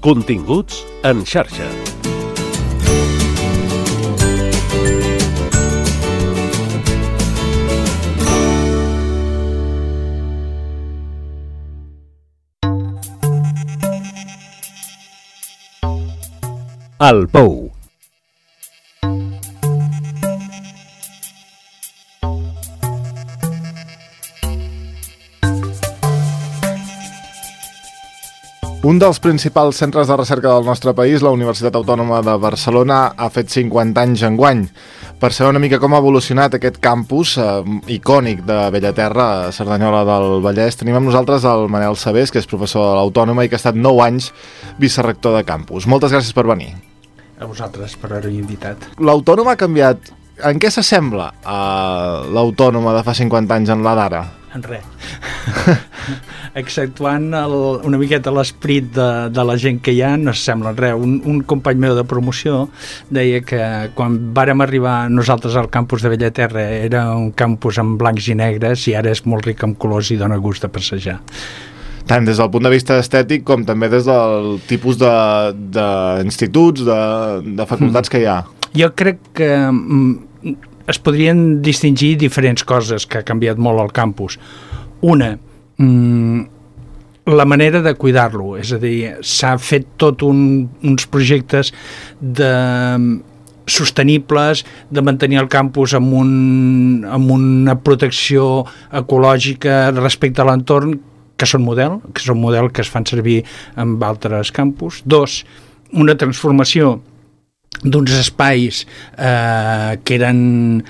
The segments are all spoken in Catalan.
Continguts en xarxa. El Pou. Un dels principals centres de recerca del nostre país, la Universitat Autònoma de Barcelona, ha fet 50 anys enguany. Per saber una mica com ha evolucionat aquest campus icònic de Bellaterra, a Cerdanyola del Vallès, tenim amb nosaltres el Manel Sabés, que és professor de l'Autònoma i que ha estat 9 anys vicerector de campus. Moltes gràcies per venir. A vosaltres per haver-hi invitat. L'Autònoma ha canviat. En què s'assembla a l'Autònoma de fa 50 anys en la d'ara? En res. Exceptuant una miqueta l'esperit de la gent que hi ha, no s'assembla en res. Un company meu de promoció deia que quan vàrem arribar nosaltres al campus de Bellaterra era un campus en blancs i negres i ara és molt ric en colors i dona gust de passejar. Tant des del punt de vista estètic com també des del tipus d'instituts, de facultats que hi ha. Jo crec que es podrien distingir diferents coses que ha canviat molt el campus. Una, la manera de cuidar-lo, és a dir, s'ha fet tot uns projectes sostenibles, de mantenir el campus amb una protecció ecològica respecte a l'entorn, que són model que es fan servir en altres campus. Dos, una transformació d'uns espais que eren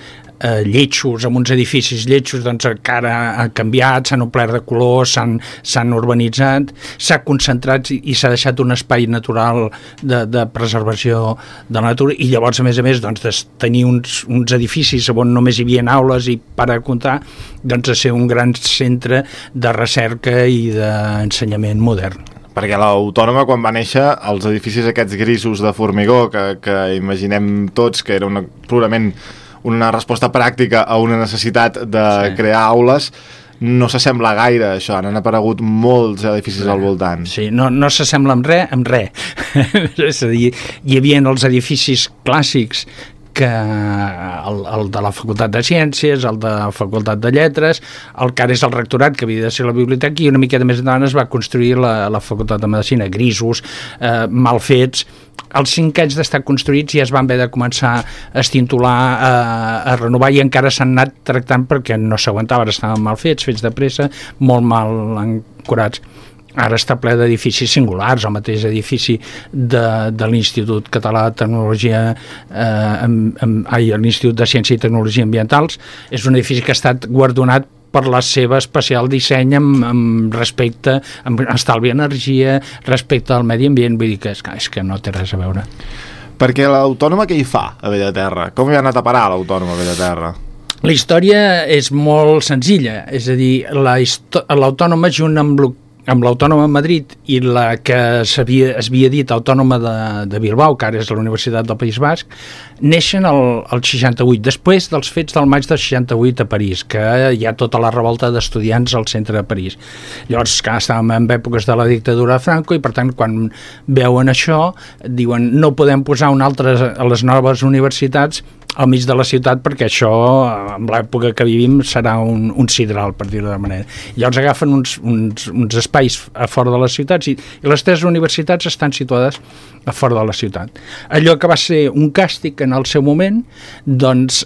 lletjos, amb uns edificis lletjos, doncs que ara han canviat, s'han omplert de color, s'han urbanitzat, s'ha concentrat i s'ha deixat un espai natural de preservació de la natura, i llavors a més doncs, de tenir uns edificis on només hi havia aules i per a comptar, doncs a ser un gran centre de recerca i d'ensenyament modern. Perquè l'Autònoma, quan va néixer, els edificis aquests grisos de formigó que imaginem tots que era purament una resposta pràctica a una necessitat de crear aules, no s'assembla gaire a això. Han aparegut molts edificis al voltant. Sí, no s'assembla amb res. És a dir, hi havia els edificis clàssics, que el de la Facultat de Ciències, el de la Facultat de Lletres, el que ara és el rectorat, que havia de ser la biblioteca, i una miqueta més endavant es va construir la Facultat de Medicina, grisos, mal fets. Els 5 anys d'estar construïts ja es van haver de començar a estintolar, a renovar, i encara s'han anat tractant perquè no s'aguantava, estaven mal fets de pressa, molt mal ancorats. Ara està ple d'edificis singulars, el mateix edifici de l'Institut Català de Tecnologia, l'Institut de Ciència i Tecnologia Ambientals, és un edifici que ha estat guardonat per la seva especial disseny amb respecte, amb estalvi d'energia, respecte al medi ambient, vull dir que és que no té res a veure. Perquè l'Autònoma què hi fa a Bellaterra? Com hi ha anat a parar l'Autònoma a Bellaterra? La història és molt senzilla, és a dir, l'Autònoma junt amb l'Autònoma de Madrid i la que es havia dit Autònoma de Bilbao, que ara és la Universitat del País Basc, neixen el 68, després dels fets del maig del 68 a París, que hi ha tota la revolta d'estudiants al centre de París. Llavors, estàvem en èpoques de la dictadura de Franco i, per tant, quan veuen això, diuen no podem posar a les noves universitats al mig de la ciutat perquè això, en l'època que vivim, serà un sidral, per dir-ho d'una manera. Llavors agafen uns espais a fora de les ciutats i les 3 universitats estan situades a fora de la ciutat. Allò que va ser un càstig en el seu moment, doncs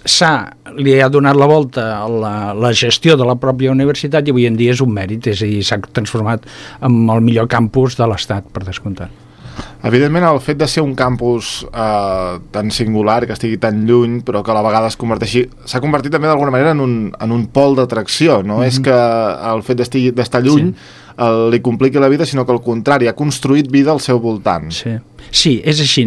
li ha donat la volta a la gestió de la pròpia universitat i avui en dia és un mèrit, és a dir, s'ha transformat en el millor campus de l'Estat, per descomptat. Evidentment, el fet de ser un campus tan singular, que estigui tan lluny, però que a la vegada s'ha convertit també d'alguna manera en un pol d'atracció. No és que el fet d'estar lluny li compliqui la vida, sinó que al contrari, ha construït vida al seu voltant. Sí, és així.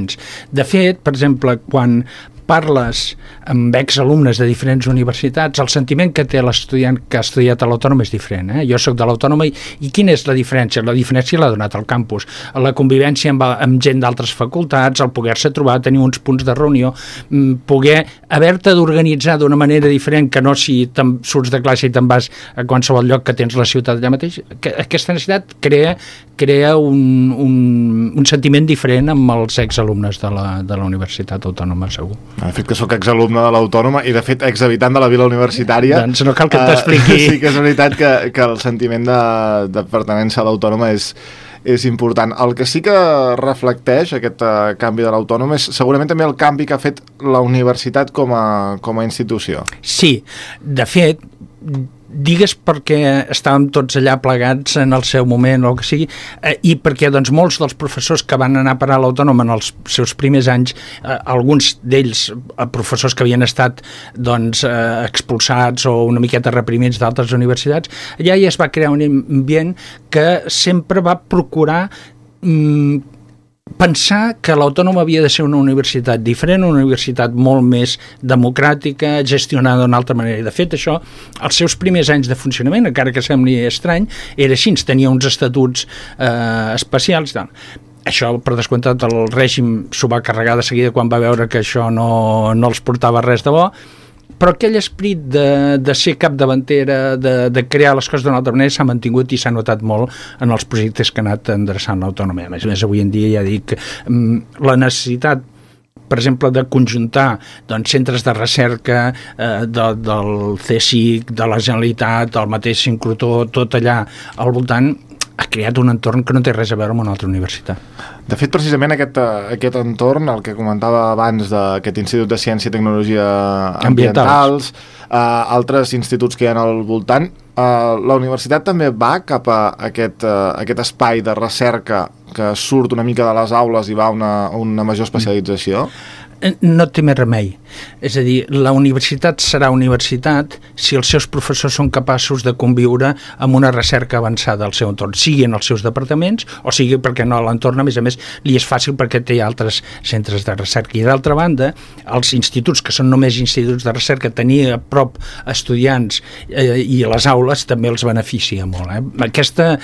De fet, per exemple, quan parles amb exalumnes de diferents universitats, el sentiment que té l'estudiant que ha estudiat a l'Autònoma és diferent. Jo soc de l'Autònoma i quina és la diferència? La diferència l'ha donat al campus. La convivència amb gent d'altres facultats, el poder-se trobar, tenir uns punts de reunió, poder haver-te d'organitzar d'una manera diferent que no si surts de classe i te'n vas a qualsevol lloc que tens la ciutat allà mateix. Aquesta necessitat crea un sentiment diferent amb els exalumnes de la Universitat Autònoma, segur. De fet que sóc exalumne de l'Autònoma i de fet exhabitant de la vila universitària. Doncs no cal que t'expliqui. Sí que és veritat que el sentiment de pertinença a l'Autònoma és important. El que sí que reflecteix aquest canvi de l'Autònoma és segurament també el canvi que ha fet la universitat com a institució. Sí, de fet, digues perquè estàvem tots allà plegats en el seu moment o el que sigui, i perquè doncs, molts dels professors que van anar a parar a l'Autònoma en els seus primers anys, alguns d'ells professors que havien estat doncs, expulsats o una miqueta reprimits d'altres universitats, allà ja es va crear un ambient que sempre va procurar pensar que l'Autònoma havia de ser una universitat diferent, una universitat molt més democràtica, gestionada d'una altra manera. I de fet, això, els seus primers anys de funcionament, encara que sembli estrany, era així, tenia uns estatuts especials. Això, per descomptat, el règim s'ho va carregar de seguida quan va veure que això no els portava res de bo, però aquell esperit de ser capdavantera, de crear les coses d'una altra manera s'ha mantingut i s'ha notat molt en els projectes que ha anat endreçant l'Autònoma. A més, avui en dia ja dic la necessitat, per exemple, de conjuntar doncs, centres de recerca del CSIC, de la Generalitat, del mateix Sincrotró, tot allà al voltant, ha creat un entorn que no té res a veure amb una altra universitat. De fet, precisament aquest entorn, el que comentava abans d'aquest Institut de Ciència i Tecnologia Ambientals, altres instituts que hi ha al voltant, la universitat també va cap a aquest espai de recerca que surt una mica de les aules i va a una major especialització? No té més remei. És a dir, la universitat serà universitat si els seus professors són capaços de conviure amb una recerca avançada al seu entorn, sigui en els seus departaments o sigui perquè no a l'entorn, a més, li és fàcil perquè té altres centres de recerca. I d'altra banda, els instituts, que són només instituts de recerca, tenir a prop estudiants i les aules també els beneficia molt. Aquesta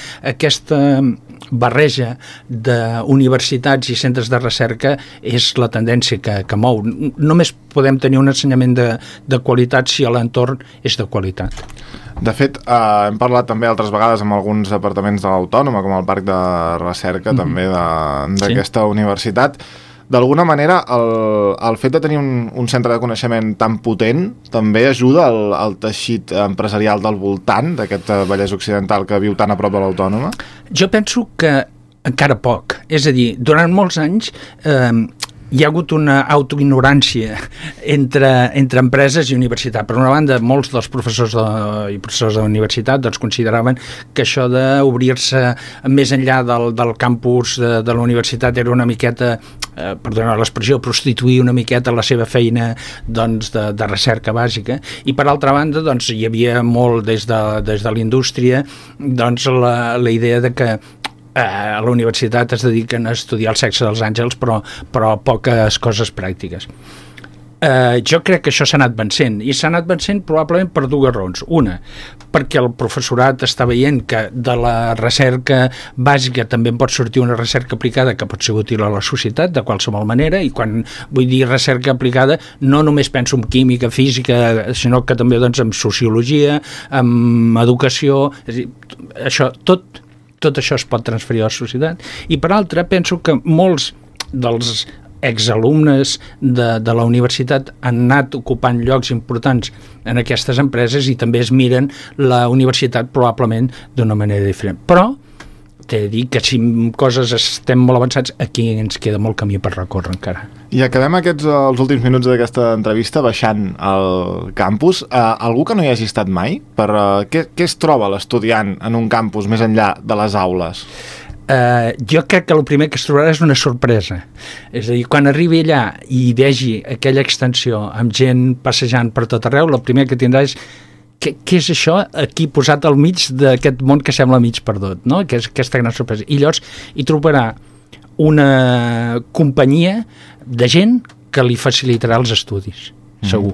barreja d'universitats i centres de recerca és la tendència que mou. Només podem tenir un ensenyament de qualitat si l'entorn és de qualitat. De fet, hem parlat també altres vegades amb alguns departaments de l'Autònoma, com el Parc de Recerca també d'aquesta universitat. D'alguna manera, el fet de tenir un centre de coneixement tan potent també ajuda al teixit empresarial del voltant d'aquest Vallès Occidental que viu tan a prop de l'Autònoma? Jo penso que encara poc. És a dir, durant molts anys hi ha hagut una autoignorància entre empreses i universitat. Per una banda, molts dels professors i professors de la universitat doncs, consideraven que això d'obrir-se més enllà del campus de la universitat era una miqueta, perdona l'expressió, prostituir una miqueta la seva feina doncs, de recerca bàsica. I per altra banda, doncs, hi havia molt des de la indústria doncs, la idea de que a la universitat es dediquen a estudiar el sexe dels àngels, però poques coses pràctiques. Jo crec que això s'ha anat vencent, i s'ha anat vencent probablement per dues raons. Una, perquè el professorat està veient que de la recerca bàsica també en pot sortir una recerca aplicada que pot ser útil a la societat de qualsevol manera, i quan vull dir recerca aplicada no només penso en química, física, sinó que també doncs, en sociologia, en educació, és a dir, això tot això es pot transferir a la societat. I per altra, penso que molts dels exalumnes de la universitat han anat ocupant llocs importants en aquestes empreses i també es miren la universitat probablement d'una manera diferent. Però t'he de dir que si en coses estem molt avançats, aquí ens queda molt camí per recórrer encara. I acabem els últims minuts d'aquesta entrevista baixant al campus. Algú que no hi hagi estat mai? Què es troba l'estudiant en un campus més enllà de les aules? Jo crec que el primer que es trobarà és una sorpresa. És a dir, quan arribi allà i vegi aquella extensió amb gent passejant per tot arreu, el primer que tindrà és què és això aquí posat al mig d'aquest món que sembla mig perdut, no? Que és aquesta gran sorpresa. I llavors hi trobarà una companyia de gent que li facilitarà els estudis, segur.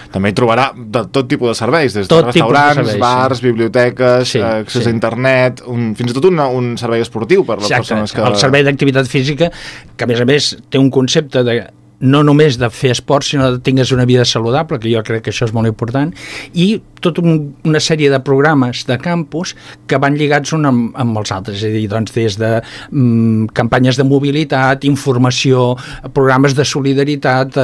També hi trobarà de tot tipus de serveis, des de Tot restaurants, tipus de serveis, bars, biblioteques, Sí, accés sí. a internet, fins i tot un servei esportiu per a les persones que... El servei d'activitat física, que a més té un concepte de no només de fer esport, sinó que tingues una vida saludable, que jo crec que això és molt important, i tota una sèrie de programes de campus que van lligats un amb els altres, és a dir, doncs, des de campanyes de mobilitat, informació, programes de solidaritat,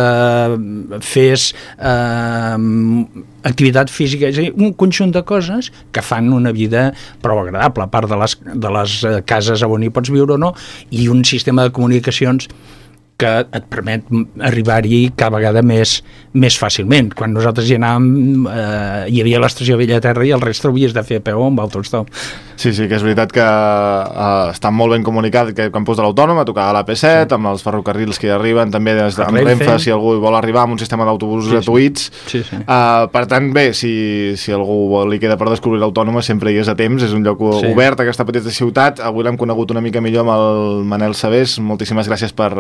activitat física, és a dir, un conjunt de coses que fan una vida prou agradable, a part de les cases on hi pots viure o no, i un sistema de comunicacions que et permet arribar-hi cada vegada més fàcilment. Quan nosaltres hi anàvem, hi havia l'estació Bellaterra i el reste ho havies de fer a peu amb autostop. Sí, que és veritat que està molt ben comunicat aquest campus de l'Autònoma, a tocar a l'AP7, amb els ferrocarrils que hi arriben, també amb Renfe, si algú vol arribar amb un sistema d'autobusos gratuïts. Sí. Per tant, bé, si algú li queda per descobrir l'Autònoma, sempre hi és a temps, és un lloc obert, aquesta petita ciutat. Avui l'hem conegut una mica millor amb el Manel Sabés. Moltíssimes gràcies per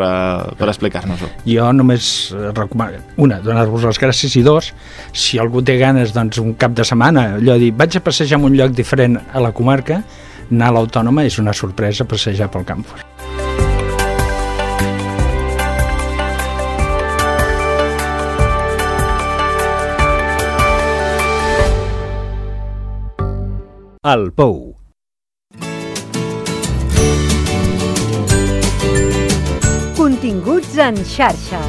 explicar-nos-ho. Jo només recomano, donar-vos les gràcies, i dos, si algú té ganes, doncs, un cap de setmana, allò de dir, vaig a passejar en un lloc diferent a la comarca, anar a l'Autònoma és una sorpresa passejar pel campus. El Pou. Continguts en xarxa.